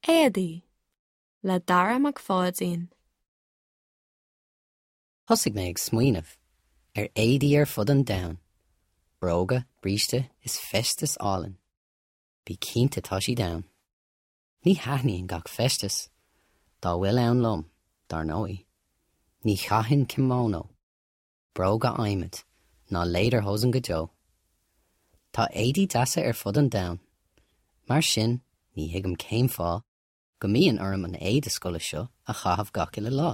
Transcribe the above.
Éadaí le Dara Mac Pháidín. Thosaigh mé ag smaoineamh ar éadaí ar fud an domhain, bróga, bríste is feisteas álainn. Bí cinnte tá siad ann. Ní thaitníonn gach feisteas dá bhfuil ann liom, dar ndóigh. Ní chaithfinn kimono, bróga adhmaid ná lederhosen go deo. Tá éadaí deasa ar fud an domhain, mar sin ní thuigim cén fáth go mbíonn orm an éide scoile seo a chaitheamh gach uile lá.